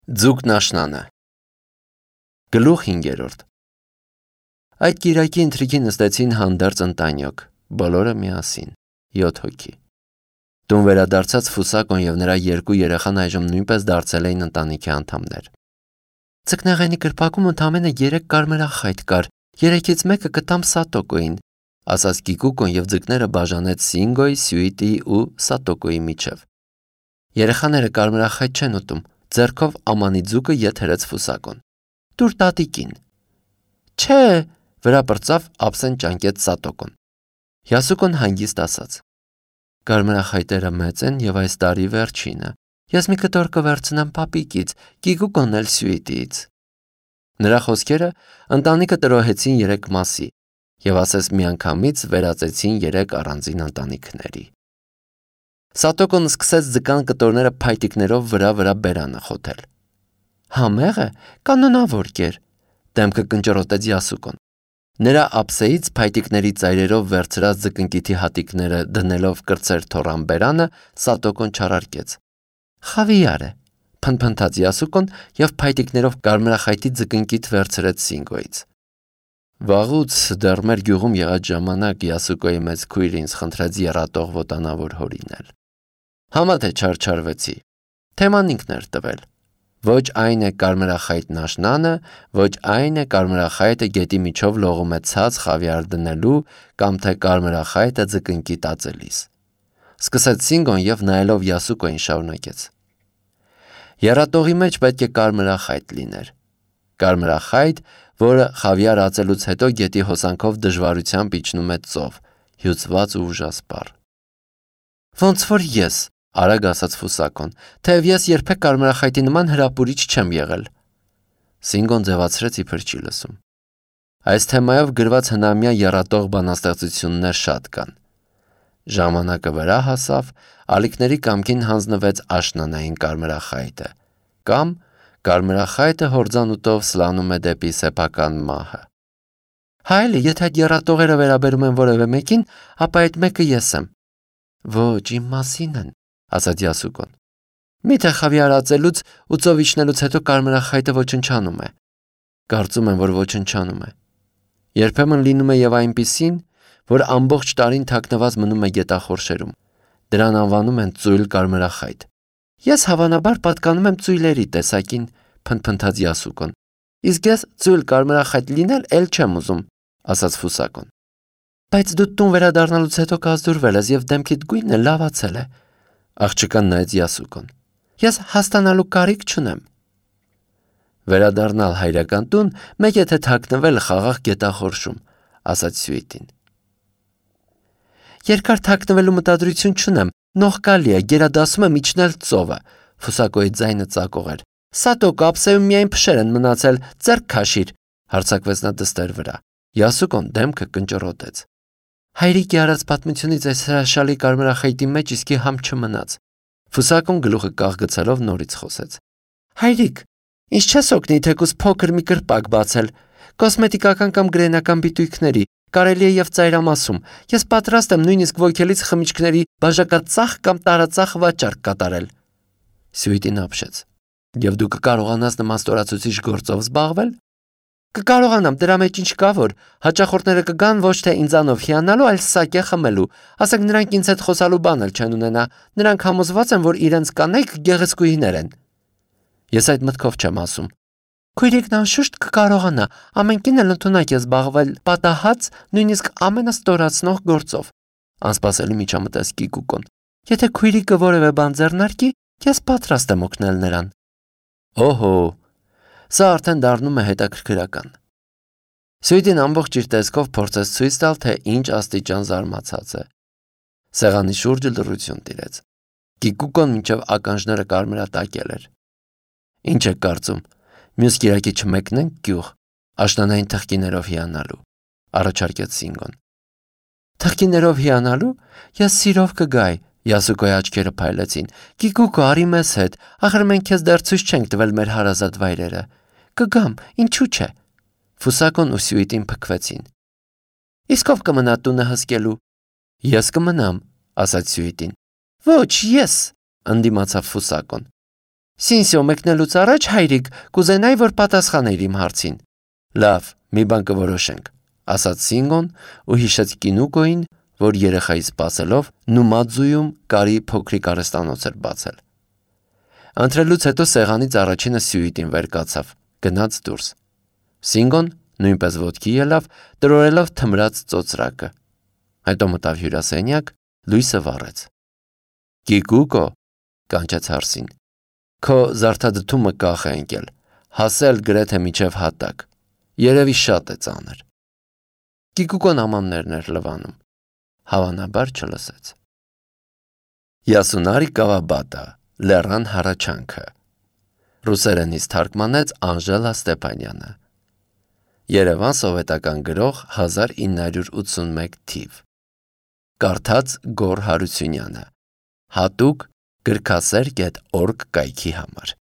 Ձուկն աշնանը Գլուխ 5 Այդ կիրակի ընթրիքի նստեցին հանդերձ ընտանյոք, բոլորը միասին, 7 հոգի։ Տուն վերադարձած Ֆուսակոն և նրա 2 երեխան այժմ նույնպես դարձել էին ընտանիքի անդամներ։ Ձկնեղենի կրպակում ընդամենը 3 կարմրախայտ կար, 3-ից մեկը կտամ Սատոկոին, ասաց Կիկուկոն և ձկները բաժանեց Սինգոյի, Սյուիտիի ու Սատոկոյի միջև։ Երեխաները կարմրախայտ չեն ուտում, ձեռքով ամանի ձուկը ետ հրեց Ֆուսակոն։ Տուր տատիկին։ Չէ, վրա պրծավ ափսեն ճանկեց Սատոկոն։ Յասուկոն հանգիստ ասաց. Կարմրախայտերը մեծ են և այս տարի վերջինը։ Ես մի կտոր կվերցնեմ պապիկից, Կիկուկոն էլ Սյուիտիից։ Նրա խոսքերը ընտանիքը տրոհեցին 3 մասի և ասես միանգամից վերածեցին 3 առանձին ընտանիքների։ Սատոկոն սկսեց ձկան կտորները փայտիկներով վրա բերանը խոթել։ Համեղ է, կանոնավոր կեր, դեմքը կնճռոտեց Յասուկոն։ Նրա ափսեից փայտիկների ծայրերով վերցրած ձկնկիթի հատիկները դնելով կրծեր թոռան բերանը, Սատոկոն չարարկեց։ Խավիար է, փնփնթաց Յասուկոն և փայտիկներով կարմրախայտի ձկնկիթ վերցրեց Սինգոյից։ Վաղուց դեռ մեր գյուղում եղած ժամանակ Յասուկոյի մեծ քույրը ինձ խնդրեց եռատող ոտանավոր հորինել։ Համա թե չարչարվեցի։ Թեման ինքն էր տվել։ Ոչ այն է կարմրախայտն աշնանը, ոչ այն է կարմրախայտը գետի միջով լողում է ցած խավիար դնելու կամ թե կարմրախայտը ձկնկի տածելիս։ Սկսեց Սինգոն և նայելով Յասուկոյին շարունակեց։ Եռատողի մեջ պետք է կարմրախայտ լիներ։ Կարմրախայտ, որը խավիար ածելուց հետո գետի հոսանքով դժվարությամբ իջնում է ծով, հյուծված ու ուժասպառ։ Ոնց որ ես, արագ ասաց Ֆուսակոն, թեև ես երբեք կարմրախայտի նման հրապուրիչ չեմ եղել։ Սինգոն ձևացրեց իբր չի լսում։ Այս թեմայով գրված հնամյա եռատող բանաստեղծություններ շատ կան։ Ժամանակը վրա հասավ, ալիքների կամքին հանձնվեց աշնանային կարմրախայտը, կամ կարմրախայտը հորձանուտով սլանում է դեպի սեփական մահը։ Հայելի, եթե այդ եռատողերը վերաբերում են որևէ մեկին, ապա այդ մեկը ես եմ։ Ոչ, իմ մասին են, ասաց Յասուկոն։ Միթե խավիար ածելուց ու ծով իջնելուց հետո կարմրախայտը ոչնչանում է։ Կարծում եմ, որ ոչնչանում է։ Երբեմն լինում է և այնպիսին, որ ամբողջ տարին թաքնված մնում է գետախորշերում։ Դրան անվանում են ծույլ կարմրախայտ։ Ես հավանաբար պատկանում եմ ծույլերի տեսակին, փնփնթաց Յասուկոն։ Իսկ ես ծույլ կարմրախայտ լինել էլ չեմ ուզում, ասաց Ֆուսակոն։ Բայց դու տուն վերադառնալուց հետո կազդուրվել ես և դեմքիդ գույնը լավացել է, աղջկան նայեց Յասուկոն։ Ես հասկանալու կարիք չունեմ։ Վերադառնալ հայրական տուն, մեկ եթե թաքնվել խաղաղ գետախորշում, ասաց Սյուիտին։ Երկար թաքնվելու մտադրություն չունեմ, նողկալի է, գերադասում եմ իջնել ծովը, Ֆուսակոյի ձայնը ծակող էր։ Սատոկո ափսեում միայն փշեր են մնացել, ձեռք քաշիր, հարձակվեց նա դստեր վրա։ Յասուկոն դեմքը կնճռոտեց։ Հայրիկի արած պատմությունից այս հրաշալի կարմրախայտի մեջ իսկի համ չմնաց։ Ֆուսակոն գլուխը կաղգցելով նորից խոսեց։ Հայրիկ, ինչ չես օգնի թեկուզ փոքր մի կրպակ բացել, կոսմետիկական կամ գրենական բիտույքների, կարելի է և ծայրամասում։ Ես պատրաստ եմ նույնիսկ ոգելից խմիչքների բաժակածախ կամ տարածախ վաճառք կատարել։ Սյուիտին ապշեց։ Եվ դու կկարողանաս նման ստորացուցիչ գործով զբաղվել։ Կկարողանամ, դրա մեջ ինչ կա, որ հաճախորդները կգան ոչ թե ինձանով հիանալու, այլ սակե խմելու։ Ասենք նրանք ինձ հետ խոսալու բան էլ չեն ունենա։ Նրանք համոզված են, որ իրենց կանայք գեղեցկուհիներ են։ Ես այդ մտքով չեմ ասում։ Քույրիկն անշուշտ կկարողանա, ամեն կին էլ ընդունակ է զբաղվել պատահած, նույնիսկ ամենաստորացնող գործով։ Անսպասելի միջամտեց Կիկուկոն։ Եթե քույրիկը որևէ բան ձեռնարկի, ես պատրաստ եմ օգնել նրան։ Օհո, սա արդեն դառնում է հետաքրքրական։ Սյուիտին ամբողջ իր տեսքով փորձեց ցույց տալ, թե ինչ աստիճան զարմացած է։ Սեղանի շուրջը լռություն տիրեց։ Կիկուկոն մինչև ականջները կարմրատակել էր։ Ինչ եք կարծում, մյուս կիրակի չմեկնենք գյուղ, աշնանային թխկիներով հիանալու, առաջարկեց Սինգոն։ Թխկիներով հիանալու, ես սիրով կգայի, Յասուկոյի աչքերը փայլեցին։ Կիկուկո, արի մեզ հետ, ախր մենք քեզ դեռ ցույց չենք տվել մեր հարազատ վայրերը։ Կգամ, ինչու՞ չէ։ Ֆուսակոն ու Սյուիտին փքվեցին։ Իսկ ով կմնա տունը հսկելու։ Ես կմնամ, ասաց Սյուիտին։ Ոչ, ես, ընդդիմացավ Ֆուսակոն։ Սինսիո մեկնելուց առաջ հայրիկ կուզենայի, որ պատասխաներ իմ հարցին։ Լավ, մի բան կորոշենք, ասաց Սինգոն ու հիշեց Կինուկոին, որ երեխայի սպասելով Նումադզուում կարի փոքրիկ արհեստանոց էր բացել։ Ընտրելուց հետո սեղանից առաջինը սյուիտին վեր կացավ, գնաց դուրս։ Սինգոն նույնպես ոտքի ելավ, տրորելով թմրած ծոծրակը։ Հետո մտավ հյուրասենյակ, լույսը վառեց։ Կիկուկո, կանչեց հարսին, քո զարդադդումը կախ է ընկել, հասել գրեթե միջև հատակ, երևի շատ է ծանր։ Կիկուկոն ամաններն էր լվանում, հավանաբար չլսեց։ Յասունարի Կավաբատա, լեռան հառաչանքը, ռուսերենից թարգմանեց Անժելա Ստեփանյանը։ Երևան սովետական գրող 1981 թիվ։ Կարդաց Գոռ Հարությունյանը, հատուկ գրքասեր.org կայքի համար։